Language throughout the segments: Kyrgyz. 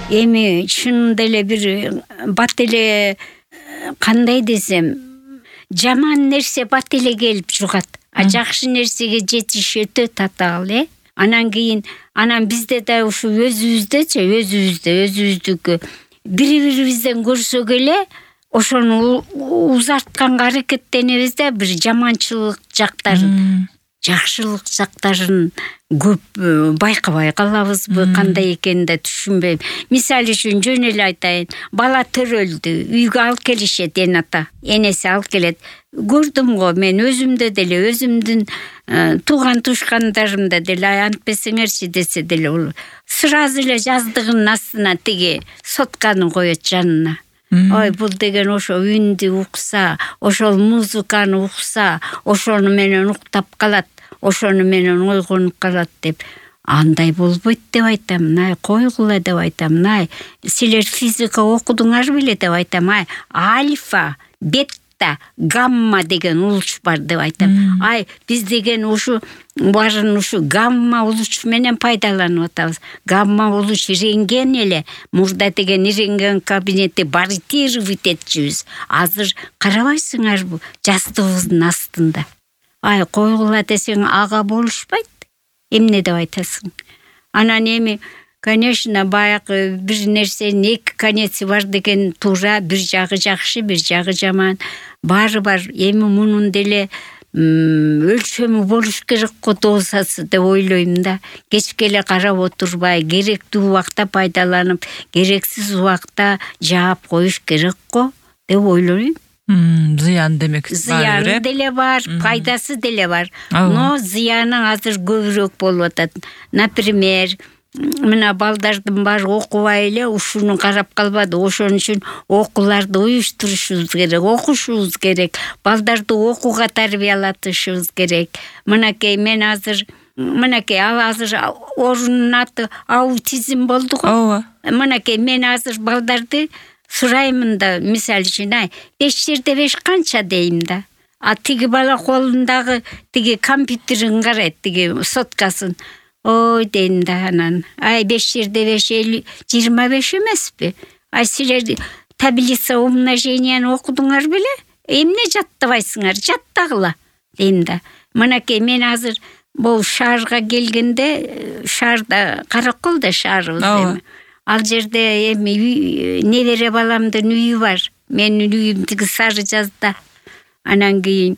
Эми чынында эле бир бат эле кандай десем, жаман нерсе бат эле келип жугат. Жакшы нерсеге жетиш өтө татаал, Анан кийин бизде да ушу өзүбүздүкү бири-бирибизден көрсөк эле ошону узартканга аракеттенебиз да, бир жаманчылык жактарын, жакшылык жактарын көп байкабай калабызбы, кандай экенин да түшүнбөйм. Мисалы үчүн жөн эле айтайын, бала төрөлдү, үйгө алып келишет, энеси алып келет. Көрдүм го мен өзүмдө деле, өзүмдүн тууган тушкандарымда деле, антпесеңерчи десе деле, ол сразу эле жаздыгынын астына тиги сотканы коет жанына. Ой, бул деген ошо үндү укса, ошол музыканы укса, ошону менен уктап калат, ошону менен ойгонуп калат деп. Андай болбойт деп айтам, койгула деп айтам, силер физика окудуңар беле деп айтам, альфа, бетта, гамма деген улуч бар деп айтам. Биз деген ушу баарын ушу гамма улуч менен пайдаланып атабыз. Гамма улуч рентген эле, мурда деген рентген кабинети баритировать этчүбүз. Азыр карабайсыңарбы, жастыгыбыздын астында. Койгула десең ага болушпайт. Эмне деп айтасың? Анан эми, конечно, баягы бир нерсенин эки конеци бар деген туура, бир жагы жакшы, бир жагы жаман. Баары бар. Эми мунун деле өлчөмү болуш керек го дозасы деп ойлойм да. Кечке эле карап отурбай, керектүү убакта пайдаланып, керексиз убакта жаап коюш керек го деп ойлойм. Зыян демек. Зыяны деле бар, пайдасы деле бар. Но зыяны азыр көбүрөөк болуп атат. Например, мына балдардын баары окубай эле ушуну карап калбады. Ошон үчүн окууларды уюштурушубуз керек, окушубуз керек. Балдарды окууга тарбиялатышыбыз керек. Мынакей мен азыр оорунун аты аутизм болду го. Мынакей мен азыр балдарды сураймын да, мисалы үчүн 5/5 канча дейм да. Тиги бала колундагы тиги компьютерин карайт, тиги соткасын. Ой дейм да, анан 5/5 25 эмеспи? Силер таблица умноженияны окудуңар беле? Эмне жаттабайсыңар? Жаттагыла дейм да. Мынакей мен азыр бул шаарга келгенде, шаарда Каракол да шаарыбыз эми. Ал жерде эми небере баламдын үйү бар. Менин үйүм тиги Сары Жазда. Анан кийин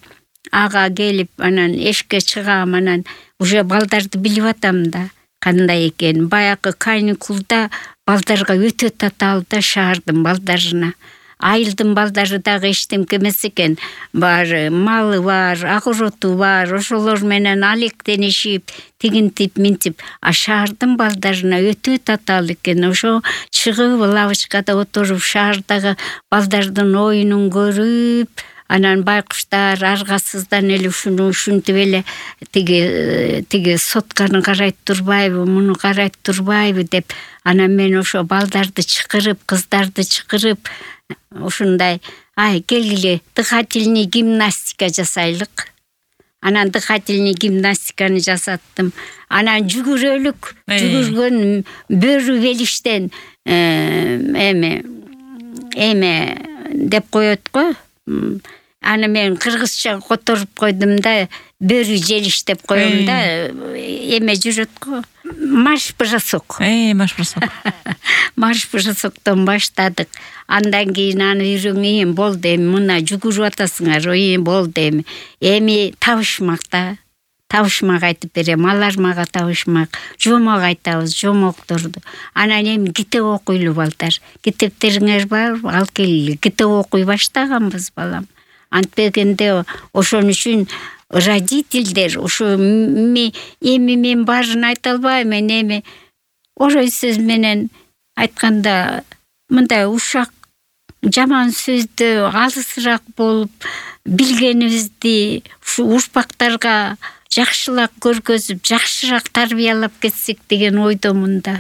ага келип, анан эшикке чыгам, анан уже балдарды билип атам да, кандай экен. Баягы каникулда балдарга өтө татаал да, шаардын балдарына. Айылдын балдары дагы эчтемке эмес экен. Бар малы бар, огороту бар, ошолор менен алектенишип, тигинтип, минтип. Шаардын балдарына өтө татаал экен. Ошо чыгып лавочкада отуруп, шаардагы балдардын оюнун көрүп, анан байкуштар аргасыздан эле ушинтип эле тиги сотканы карайт турбайбы, муну карайт турбайбы деп, анан мен ошо балдарды чакырып, кыздарды чакырып, ушундай, келгиле, дыхательный гимнастика жасайлык. Анан дыхательный гимнастиканы жасаттым. Анан жүгүрөлүк, жүгүргөн бөрү белиштен эме деп коет го. Аны мен кыргызча которуп койдум да, бөрү желиш деп коем да, эме жүрөт го. Марш-бросок. Марш-бросоктон баштадык. Андан кийин аны үйрөнгөн болду, эми мына жүгүрүп атасыңар, болду эми. Эми табышмакта. Табышмак айтып берем, алар мага табышмак. Жомок айтабыз, жомокторду. Анан эми китеп окуйлу балдар. Китептериңер барбы? Ал келгиле. Китеп окуй баштаганбыз балам. Антпегенде ошон үчүн родительдер ошо эми мен баарын айта албайм, эми орой сөз менен айтканда мындай ушак жаман сөздү алысыраак болуп билгенибизди ушу урпактарга жакшылап көргөзүп, жакшыраак тарбиялап кетсек деген ойдомун да.